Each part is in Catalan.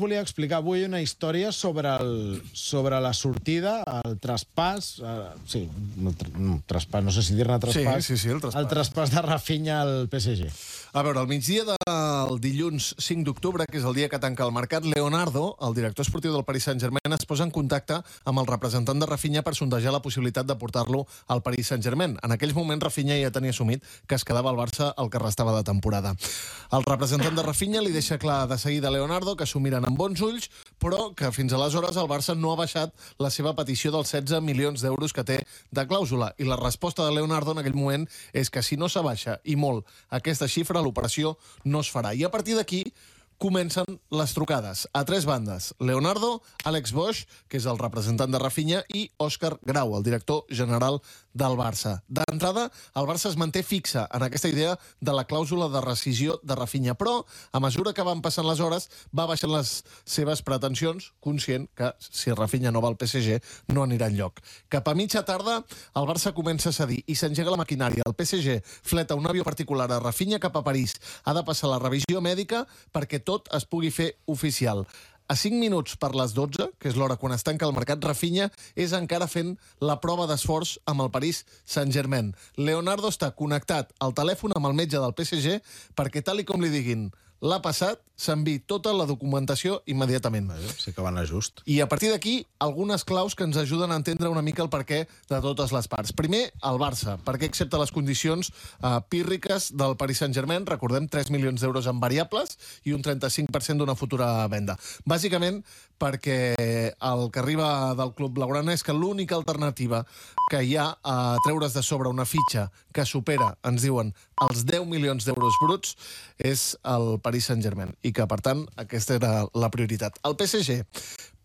volia explicar avui una història sobre la sortida, el traspàs... Sí, traspàs, no sé si dir-ne traspàs. Sí, el traspàs. El traspàs de Rafinha al PSG. A veure, al migdia del dilluns 5 d'octubre, que és el dia que tanca el mercat, Leonardo, el director esportiu del Paris Saint-Germain, es posa en contacte amb el representant de Rafinha per sondejar la possibilitat de portar-lo al Paris Saint-Germain. En aquells moments, Rafinha ja tenia assumit que es quedava al Barça el que restava de temporada. El representant de Rafinha li deixa clar de seguida a Leonardo que s'ho miren amb bons ulls, però que fins aleshores el Barça no ha baixat la seva petició dels 16 milions d'euros que té de clàusula. I la resposta de Leonardo en aquell moment és que si no s'abaixa i molt aquesta xifra, l'operació no es farà. I a partir d'aquí comencen les trucades a tres bandes. Leonardo, Àlex Boix, que és el representant de Rafinha, i Òscar Grau, el director general del Barça. D'entrada, el Barça es manté fixa en aquesta idea de la clàusula de rescisió de Rafinha, però a mesura que van passant les hores va baixant les seves pretensions, conscient que si Rafinha no va al PSG no anirà enlloc. Cap a mitja tarda, el Barça comença a cedir i s'engega la maquinària. El PSG fleta un avió particular a Rafinha cap a París. Ha de passar la revisió mèdica perquè tot es pugui fer oficial. A 5 minuts per les 12, que és l'hora quan es tanca el mercat, Rafinha és encara fent la prova d'esforç amb el Paris Saint-Germain. Leonardo està connectat al telèfon amb el metge del PSG perquè, tal i com li diguin, l'ha passat, s'enviï tota la documentació immediatament. Sí que va anar just. I a partir d'aquí, algunes claus que ens ajuden a entendre una mica el perquè de totes les parts. Primer, el Barça, perquè accepta les condicions pírriques del Paris Saint-Germain, recordem 3 milions d'euros en variables i un 35% d'una futura venda. Bàsicament perquè el que arriba del club blaugrana és que l'única alternativa que hi ha a treure's de sobre una fitxa que supera, ens diuen, els 10 milions d'euros bruts és el Paris Saint-Germain i que, per tant, aquesta era la prioritat. El PSG,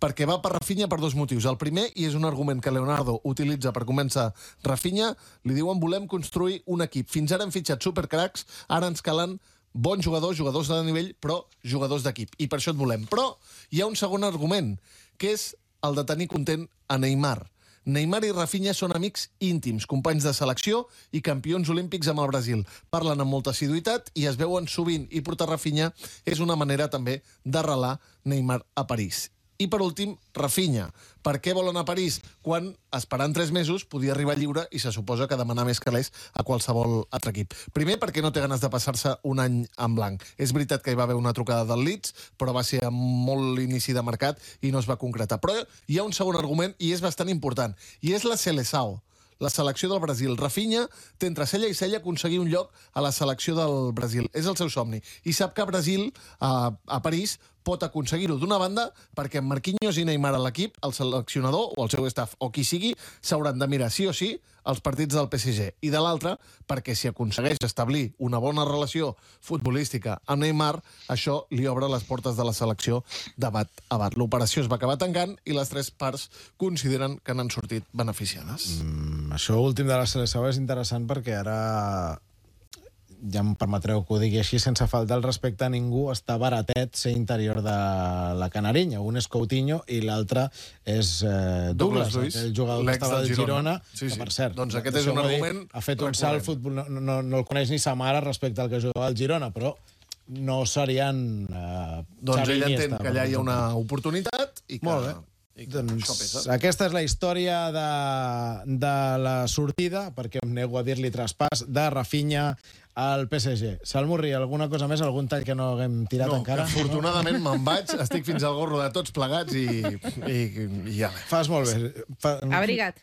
perquè va per Rafinha per dos motius. El primer, i és un argument que Leonardo utilitza per començar Rafinha, li diuen volem construir un equip. Fins ara hem fitxat supercracs, ara ens calen bons jugadors, jugadors de nivell, però jugadors d'equip. I per això et volem. Però hi ha un segon argument, que és el de tenir content a Neymar. Neymar i Rafinha són amics íntims, companys de selecció i campions olímpics amb el Brasil. Parlen amb molta assiduïtat i es veuen sovint, i portar Rafinha és una manera també d'arrelar Neymar a París. I per últim, Rafinha. Per què vol anar a París quan, esperant 3 mesos, podia arribar lliure i se suposa que demanar més calés a qualsevol altre equip? Primer, perquè no té ganes de passar-se un any en blanc. És veritat que hi va haver una trucada del Leeds, però va ser amb molt inici de mercat i no es va concretar. Però hi ha un segon argument i és bastant important, i és la Seleção, la selecció del Brasil. Rafinha té entre cella i cella aconseguir un lloc a la selecció del Brasil. És el seu somni. I sap que a Brasil, a París, pot aconseguir-ho. D'una banda, perquè amb Marquinhos i Neymar a l'equip, el seleccionador o el seu staff o qui sigui, s'hauran de mirar sí o sí els partits del PSG. I de l'altra, perquè si aconsegueix establir una bona relació futbolística amb Neymar, això li obre les portes de la selecció de bat a bat. L'operació es va acabar tancant i les tres parts consideren que n'han sortit beneficiades. Això últim de la Seleção és interessant perquè ara, ja em permetreu que ho digui així, sense faltar el respecte a ningú, està baratet ser interior de la Canarinya. Un és Coutinho i l'altre és Douglas, el jugador que estava del Girona, que per cert, doncs aquest és un argument ha fet un salt futbol, no el coneix ni sa mare respecte al que jugava al Girona, però no serien doncs ell entén que allà hi ha una oportunitat i que... Molt bé. Doncs aquesta és la història de la sortida, perquè em nego a dir-li traspàs, de Rafinha al PSG. Salmurri, alguna cosa més, algun tall que no haguem tirat encara? No, que afortunadament me'n vaig, estic fins al gorro de tots plegats i ja. Fas molt bé. Abriga't.